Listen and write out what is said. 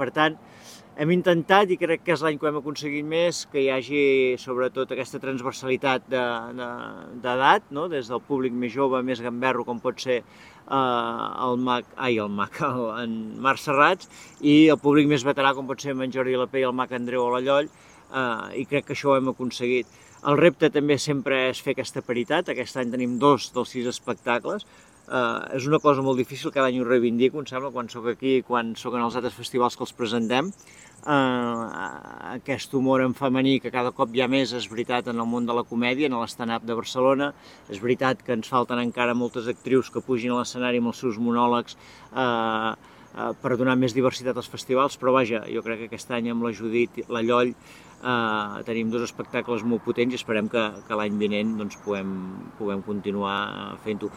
Per tant, hem intentat, i crec que és l'any que ho hem aconseguit més, que hi hagi sobretot aquesta transversalitat d'edat, no? Des del públic més jove, més gamberro, com pot ser en Marc Serrats, i el públic més veterà, com pot ser en Jordi Lapé i el Mac Andreu o la Lloll, i crec que això ho hem aconseguit. El repte també sempre és fer aquesta paritat. Aquest any tenim 2 dels 6 espectacles. És una cosa molt difícil, cada any ho reivindico, em sembla, quan sóc aquí i quan sóc en els altres festivals que els presentem. Aquest humor en femení que cada cop hi ha més, és veritat, en el món de la comèdia, en l'stand-up de Barcelona. És veritat que ens falten encara moltes actrius que pugin a l'escenari amb els seus monòlegs per donar més diversitat als festivals, però vaja, jo crec que aquest any amb la Judit, la Lloll, tenim 2 espectacles molt potents i esperem que l'any vinent doncs, puguem continuar fent-ho.